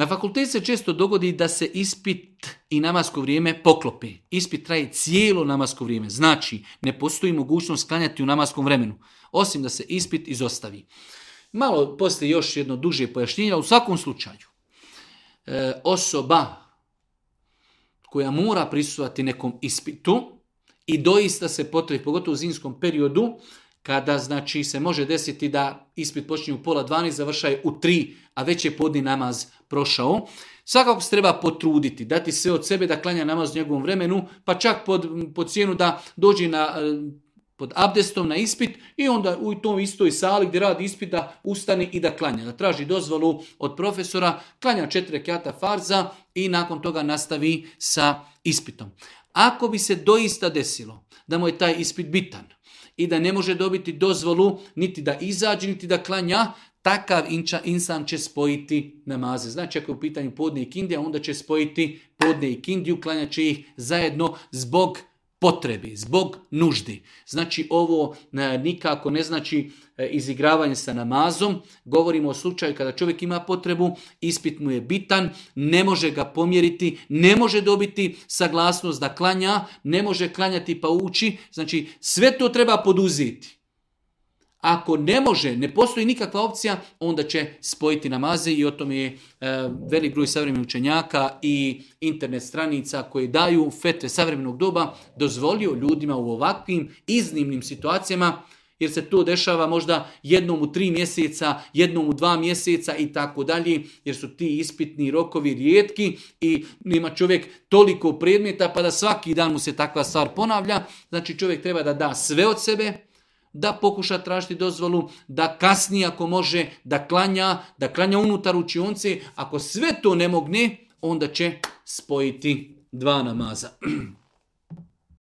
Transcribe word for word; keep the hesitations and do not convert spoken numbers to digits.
Na fakultetu se često dogodi da se ispit i namasko vrijeme poklope. Ispit traje cijelo namasko vrijeme. Znači, ne postoji mogućnost klanjati u namaskom vremenu, osim da se ispit izostavi. Malo poslije još jedno duže pojašnjenje, u svakom slučaju. E, osoba koja mora prisustvovati nekom ispitu i doista se potrebi, pogotovo u zimskom periodu, kada znači se može desiti da ispit počinje u pola dvanaest, završaje u tri, a već je podni namaz prošao. Svakako se treba potruditi, dati sve od sebe da klanja namaz u njegovom vremenu, pa čak pod, pod cijenu da dođe na, pod abdestom na ispit i onda u toj istoj sali gdje radi ispit da ustane i da klanja. Da traži dozvolu od profesora, klanja četiri rekata farza i nakon toga nastavi sa ispitom. Ako bi se doista desilo da mu je taj ispit bitan i da ne može dobiti dozvolu niti da izađe, niti da klanja, takav inča, insan će spojiti namaze. Znači, ako je u pitanju podne i kindija, onda će spojiti podne i kindiju, klanjat će ih zajedno zbog potrebi, zbog nuždi. Znači, ovo e, nikako ne znači e, izigravanje sa namazom. Govorimo o slučaju kada čovjek ima potrebu, ispit mu je bitan, ne može ga pomjeriti, ne može dobiti saglasnost da klanja, ne može klanjati pa uči. Znači, sve to treba poduzeti. Ako ne može, ne postoji nikakva opcija, onda će spojiti namaze i o tome je e, velik broj savremenih učenjaka i internet stranica koje daju fetve savremenog doba dozvolio ljudima u ovakvim iznimnim situacijama, jer se to dešava možda jednom u tri mjeseca, jednom u dva mjeseca i tako dalje, jer su ti ispitni rokovi rijetki i ima čovjek toliko predmeta pa da svaki dan mu se takva stvar ponavlja. Znači čovjek treba da da sve od sebe, da pokuša tražiti dozvolu, da kasnije ako može, da klanja, da klanja unutar učionce. Ako sve to ne mogne, onda će spojiti dva namaza.